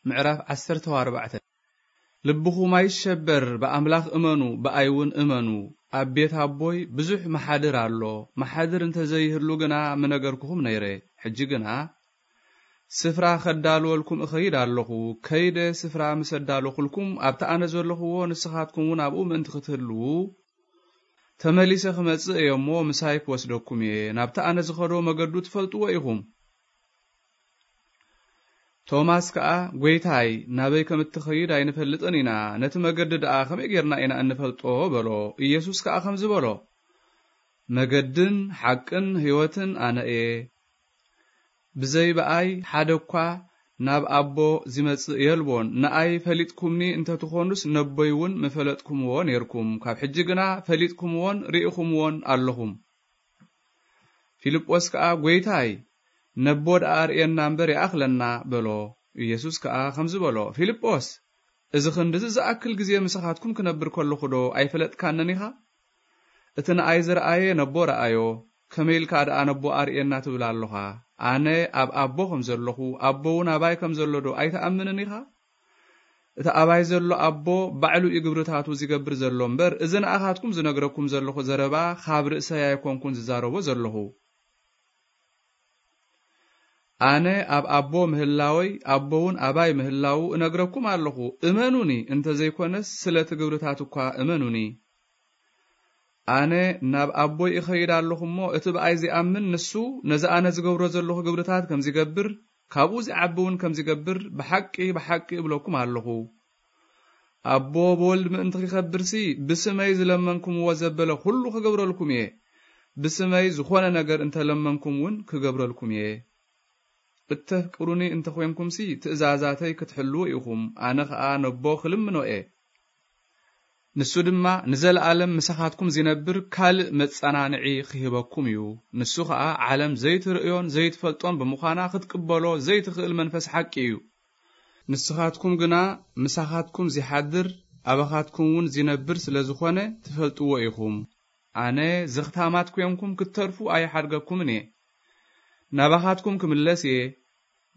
ምዕራፍ ዓሰርተ ኣርባዕተ። ልብኹም ኣይሸበር፣ ብኣምላኽ እመኑ፣ ብኣይ እውን እመኑ። ኣብ ቤት ኣቦይ ብዙሕ መሓድር ኣሎ። መሓድር እንተዘይህሉ ግና ምነገርኩኹም ነይረ። ሕጂ ግና ስፍራ ከዳልወልኩም እኸይድ ኣለኹ። ከይደ ስፍራ ምስ ኣዳለኹልኩም፣ ኣብቲ ኣነ ዘለኹዎ ንስኻትኩም እውን ኣብኡ ምእንቲ ክትህልዉ፣ ተመሊሰ ክመጽእ እየ እሞ ምሳይ ክወስደኩም እየ። ናብቲ ኣነ ዝኸዶ መገዱ ትፈልጥዎ ኢኹም። ቶማስ ከኣ፣ "ጐይታይ፣ ናበይ ከም እትኸይድ ኣይንፈልጥን ኢና። ነቲ መገዲ ደኣ ከመይ ጌርና ኢና እንፈልጦ?" በሎ። ኢየሱስ ከኣ ከምዚ በሎ፣ "መገድን ሓቅን ህይወትን ኣነ እየ። ብዘይ ብኣይ ሓደ እኳ ናብ ኣቦ ዚመጽእ የልቦን። ንኣይ ፈሊጥኩምኒ እንተ ትኾኑስ፣ ነቦይ እውን ምፈለጥኩምዎ ኔርኩም። ካብ ሕጂ ግና ፈሊጥኩምዎን ርኢኹምዎን ኣለኹም።" ፊልጶስ ከኣ፣ "ጐይታይ፣ ነቦ ደኣ ኣርእየና እምበር ይኣኽለና" በሎ። ኢየሱስ ከኣ ከምዚ በሎ፣ "ፊልጶስ፣ እዚ ኽንድዚ ዝኣክል ግዜ ምሳኻትኩም ክነብር ከለኹዶ ኣይፈለጥካንን ኢኻ? እቲ ንኣይ ዝረኣየ ነቦ ረኣዮ፣ ከመይ ኢልካ ደኣ ነቦ ኣርእየና ትብል ኣሎኻ? ኣነ ኣብ ኣቦ ከም ዘለኹ፣ ኣቦ እውን ኣባይ ከም ዘሎዶ ኣይትኣምንን ኢኻ? እቲ ኣባይ ዘሎ ኣቦ ባዕሉ እዩ ግብርታቱ ዚገብር ዘሎ እምበር፣ እዚ ንኣኻትኩም ዝነግረኩም ዘለኹ ዘረባ ካብ ርእሰይ ኣይኮንኩን ዝዛረቦ ዘለኹ። ኣነ ኣብ ኣቦ ምህላወይ፣ ኣቦ እውን ኣባይ ምህላዉ እነግረኩም ኣለኹ። እመኑኒ፣ እንተ ዘይኮነስ ስለ እቲ ግብርታት እኳ እመኑኒ። ኣነ ናብ ኣቦይ እኸይድ ኣለኹ እሞ፣ እቲ ብኣይ ዚኣምን ንሱ ነዚ ኣነ ዝገብሮ ዘለኹ ግብርታት ከም ዚገብር፣ ካብኡ ዚዓቢ እውን ከም ዚገብር፣ ብሓቂ፣ ብሓቂ እብለኩም ኣለኹ። ኣቦ ብወልድ ምእንቲ ኺኸብርሲ፣ ብስመይ ዝለመንኩምዎ ዘበለ ኹሉ ክገብረልኩም እየ። ብስመይ ዝኾነ ነገር እንተ ለመንኩም እውን ክገብረልኩም እየ። እተፍቅሩኒ እንተ ኾንኩምሲ፣ ትእዛዛተይ ክትሕልዉ ኢኹም። ኣነ ኸኣ ነቦ ክልምኖ እየ። ንሱ ድማ ንዘለኣለም ምሳኻትኩም ዚነብር ካልእ መጸናንዒ ኺህበኩም እዩ። ንሱ ኸኣ ዓለም ዘይትርእዮን ዘይትፈልጦን ብምዃና፣ ክትቅበሎ ዘይትኽእል መንፈስ ሓቂ እዩ። ንስኻትኩም ግና ምሳኻትኩም ዚሓድር፣ ኣባኻትኩም እውን ዚነብር ስለ ዝኾነ፣ ትፈልጥዎ ኢኹም። ኣነ ዘኽታማት ኴንኩም ክትተርፉ ኣይሓድገኩምን እየ። ናባኻትኩም ክምለስ እየ።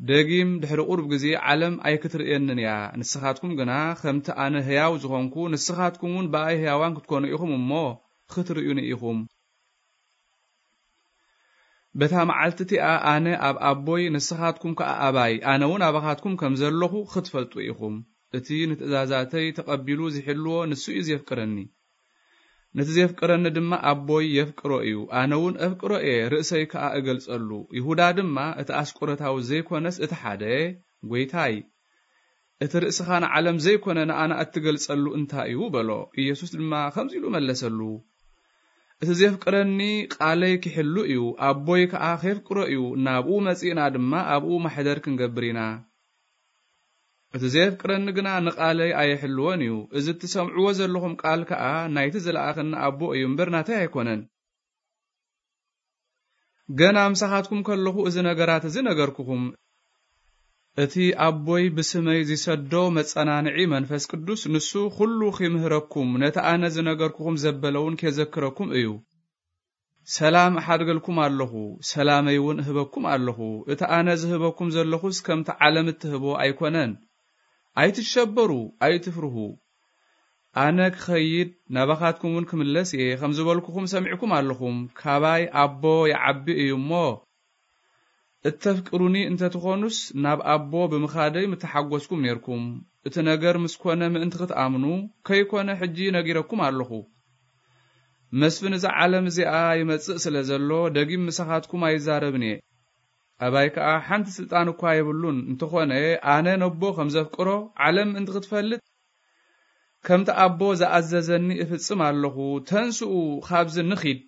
ደጊም ድሕሪ ቁሩብ ግዜ ዓለም ኣይክትርእየንን እያ። ንስኻትኩም ግና ከምቲ ኣነ ህያው ዝኾንኩ፣ ንስኻትኩም እውን ብኣይ ህያዋን ክትኮኑ ኢኹም እሞ፣ ክትርእዩኒ ኢኹም። በታ መዓልቲ እቲኣ ኣነ ኣብ ኣቦይ፣ ንስኻትኩም ከኣ ኣባይ፣ ኣነ እውን ኣባኻትኩም ከም ዘለኹ ክትፈልጡ ኢኹም። እቲ ንትእዛዛተይ ተቐቢሉ ዚሕልዎ ንሱ እዩ ዜፍቅረኒ። ነቲ ዜፍቅረኒ ድማ ኣቦይ የፍቅሮ እዩ። ኣነ እውን ኣፍቅሮ እየ፣ ርእሰይ ከኣ እገልጸሉ። ይሁዳ ድማ፣ እቲ ኣስቆሮታዊ ዘይኮነስ እቲ ሓደ፣ "ጐይታይ፣ እቲ ርእስኻ ንዓለም ዘይኮነ ንኣና እትገልጸሉ እንታይ እዩ?" በሎ። ኢየሱስ ድማ ከምዚ ኢሉ መለሰሉ፣ "እቲ ዜፍቅረኒ ቃለይ ኪሕሉ እዩ፣ ኣቦይ ከኣ ኼፍቅሮ እዩ፣ ናብኡ መጺእና ድማ ኣብኡ ማሕደር ክንገብር ኢና። እቲ ዜፍቅረኒ ግና ንቓለይ ኣየሕልዎን እዩ። እዚ እትሰምዕዎ ዘለኹም ቃል ከኣ ናይቲ ዝለኣኸኒ ኣቦ እዩ እምበር ናተይ ኣይኮነን። ገና ምሳኻትኩም ከለኹ እዚ ነገራት እዚ ነገርኩኹም። እቲ ኣቦይ ብስመይ ዚሰዶ መጸናንዒ መንፈስ ቅዱስ፣ ንሱ ኹሉ ኺምህረኩም፣ ነቲ ኣነ ዝነገርኩኹም ዘበለ እውን ኬዘክረኩም እዩ። ሰላም እሓድገልኩም ኣለኹ፣ ሰላመይ እውን እህበኩም ኣለኹ። እቲ ኣነ ዝህበኩም ዘለኹስ ከምቲ ዓለም እትህቦ ኣይኮነን። ኣይትሸበሩ፣ ኣይትፍርሁ። ኣነ ክኸይድ ናባኻትኩም እውን ክምለስ እየ፣ ከም ዝበልኩኹም ሰሚዕኩም ኣለኹም። ካባይ ኣቦ ይዓቢ እዩ እሞ፣ እተፍቅሩኒ እንተ ትኾኑስ፣ ናብ ኣቦ ብምኻደይ ምተሓጐስኩም ኔርኩም። እቲ ነገር ምስ ኮነ ምእንቲ ክትኣምኑ፣ ከይኮነ ሕጂ ነጊረኩም ኣለኹ። መስፍን እዛ ዓለም እዚኣ ይመጽእ ስለ ዘሎ፣ ደጊም ምሳኻትኩም ኣይዛረብን እየ። ኣባይ ከኣ ሓንቲ ስልጣን እኳ የብሉን። እንተኾነ፣ ኣነ ነቦ ከም ዘፍቅሮ ዓለም ምእንቲ ክትፈልጥ፣ ከምቲ ኣቦ ዝኣዘዘኒ እፍጽም ኣለኹ። ተንስኡ፣ ካብዚ ንኺድ።